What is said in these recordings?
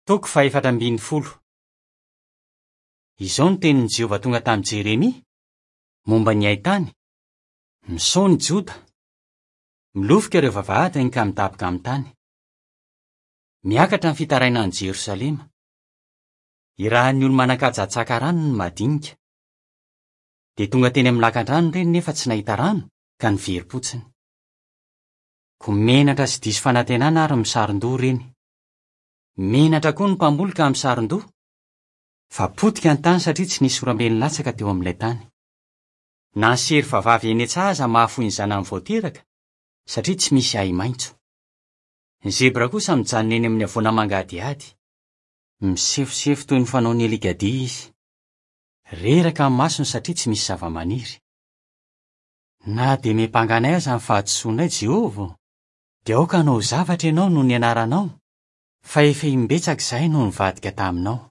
Toko fahefatra ambin'ny folo. Izao no tenin'i Jehovah tonga tamin'i Jeremia, momba ny haitany, Misaona i Joda. Milofika ireo vavahadiny ka midaboka amin'ny tany. Miakatra ny fitarainan'i Jerosalema. Irahan'ny olo-manan-kaja hatsaka rano ny madinika. Dia tonga teny amin'ny lakan-drano ireny nefa tsy nahita rano ka niverim-potsiny. Koa menatra sy diso fanantenana ary misaron-doha ireny. Menatra koa ny mpamboly ka misaron-doha, fa potika ny tany satria tsy nisy oram-be nilatsaka teo amin'ilay tany. Na ny serfa vavy eny an-tsaha aza mahafoy ny zanany vao teraka, satria tsy misy ahi-maitso. Ny zebra kosa mijanona eny amin'ny havoana mangadihady. Misefosefo toy ny fanaon'ny alikadia izy. Reraka ny masony satria tsy misy zavamaniry. Na dia miampanga anay aza ny fahadisoanay, Jehovah ô, dia aoka hanao zavatra ianao noho ny anaranao, fa efa imbetsaka izahay no nivadika taminao.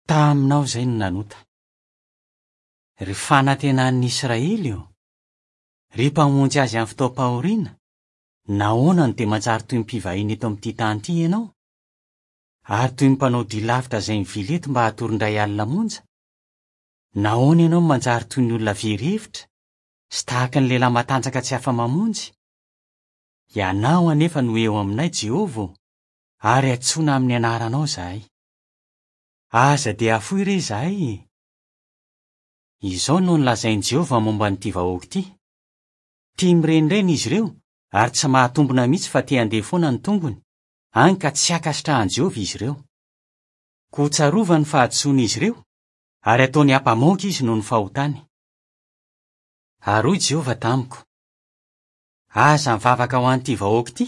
Taminao izahay no nanota. Ry fanantenan'ny Israely ô, ry Mpamonjy azy amin'ny fotoam-pahoriana, nahoana no dia manjary toy ny mpivahiny eto amin'ity tany ity ianao? Ary toy ny mpanao dia lavitra izay mivily eto mba hatory indray alina monja? Nahoana ianao no manjary toy ny olona very hevitra, sy tahaka ny lehilahy matanjaka tsy afa-mamonjy? Ianao anefa no eo aminay, Jehovah ô, ary antsoina amin'ny anaranao izahay. Aza dia afoy re izahay e! Izao no nolazain'i Jehovah momba an'ity vahoaka ity, Tia mirenireny izy ireo ary tsy mahatombina mihitsy fa te handeha foana ny tongony, hany ka tsy ankasitrahan'i Jehovah izy ireo. Koa tsarovany ny fahadisoan'izy ireo, ary ataony ampamoaka izy noho ny fahotany. Ary hoy Jehovah tamiko, Aza mivavaka ho an'ity vahoaka ity,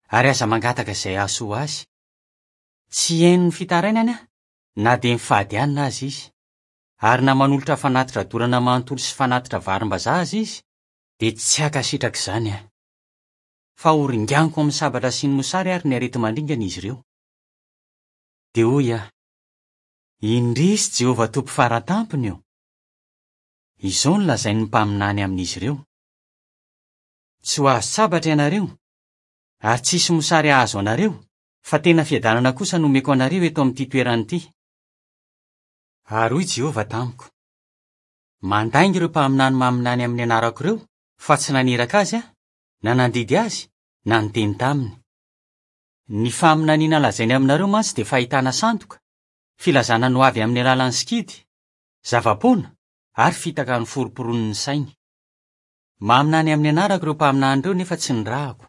ary aza mangataka izay hahasoa azy. Tsy hihaino ny fitarainany aho, na dia mifady hanina aza izy. Ary na manolotra fanatitra dorana manontolo sy fanatitra varimbazaha aza izy, dia tsy hankasitraka izany aho. Fa horinganiko amin'ny sabatra sy ny mosary ary ny areti-mandringana izy ireo. Dia hoy aho, Indrisy Jehovah Tompo Fara Tampony ô! Izao no lazain'ny mpaminany amin'izy ireo, Tsy ho azon-tsabatra ianareo, ary tsy hisy mosary hahazo anareo, fa tena fiadanana kosa no homeko anareo eto amin'ity toerana ity. Ary hoy Jehovah tamiko, Mandainga ireo mpaminany maminany amin'ny anarako ireo, fa tsy naniraka azy aho, na nandidy azy, na niteny taminy. Ny faminaniana lazainy aminareo mantsy dia fahitana sandoka, filazana ny hoavy amin'ny alalan'ny sikidy, zava-poana, ary fitaka noforomporonin'ny sainy. Maminany amin'ny anarako ireo mpaminany ireo nefa tsy nirahako.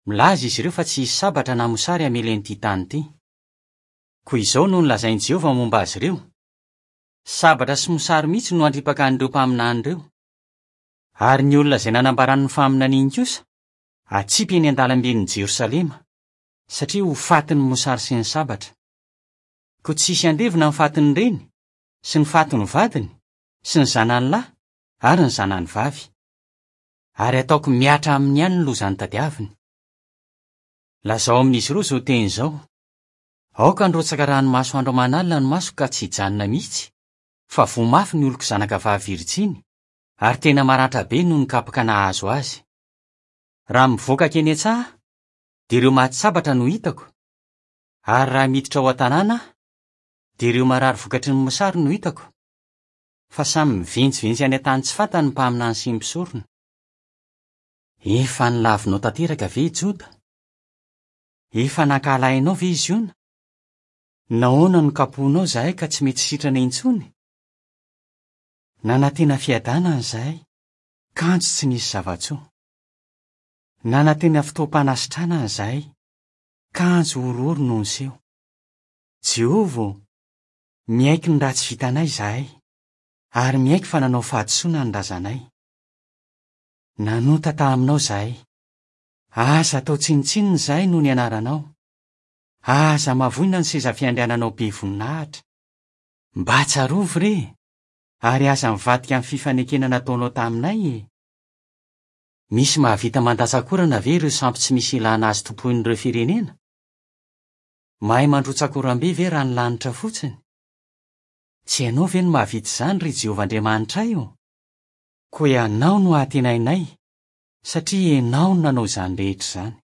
Milaza izy ireo fa tsy hisy sabatra na mosary hamely an'ity tany ity. Koa izao no nolazain'i Jehovah momba azy ireo, Sabatra sy mosary mihitsy no handripaka an'ireo mpaminany ireo. Ary ny olona izay nanambarany ny faminaniany kosa, hatsipy eny an-dalamben'i Jerosalema, satria ho fatin'ny mosary sy ny sabatra. Koa tsy hisy handevina ny fatin'ny reny, sy ny fatin'ny vadiny, sy ny zanany lahy, ary ny zanany vavy. Ary hataoko mihatra aminy ihany ny loza notadiaviny. Lazao amin'izy ireo izao teny izao, Aoka handrotsaka ranomaso andro aman'alina ny masoko ka tsy hijanona mihitsy, fa voa mafy ny oloko zanakavavy virjiny, ary tena maratra be noho ny kapoka nahazo azy. Raha mivoaka hankeny an-tsaha aho, dia ireo maty sabatra no hitako, ary raha miditra ao an-tanàna aho, dia ireo marary vokatry ny mosary no hitako. Fa samy mivenjivenjy any an-tany tsy fantany ny mpaminany sy ny mpisorona. Efa nolavinao tanteraka ve i Joda? Efa nankahalainao ve i Ziona? Nahoana no kapohinao izahay ka tsy mety sitrana intsony? Nanantena fiadanana izahay, kanjo tsy nisy zava-tsoa. Nanantena fotoam-panasitranana izahay, kanjo horohoro no niseho. Jehovah ô, miaiky ny ratsy vitanay izahay, ary miaiky fa nanao fahadisoana ny razanay. Nanota taminao izahay. Aza atao tsinontsinona izahay noho ny anaranao. Aza mavoina ny seza fiandriananao be voninahitra. Mba tsarovy re, ary aza mivadika amin'ny fifanekena nataonao taminay e! Misy mahavita mandatsa-korana ve ireo sampy tsy misy ilana azy tompoin'ireo firenena? Mahay mandrotsa-koram-be ve raha ny lanitra fotsiny? Tsy ianao ve no mahavita izany, ry Jehovah Andriamanitray ô? Koa ianao no antenainay, satria ianao no nanao izany rehetra izany.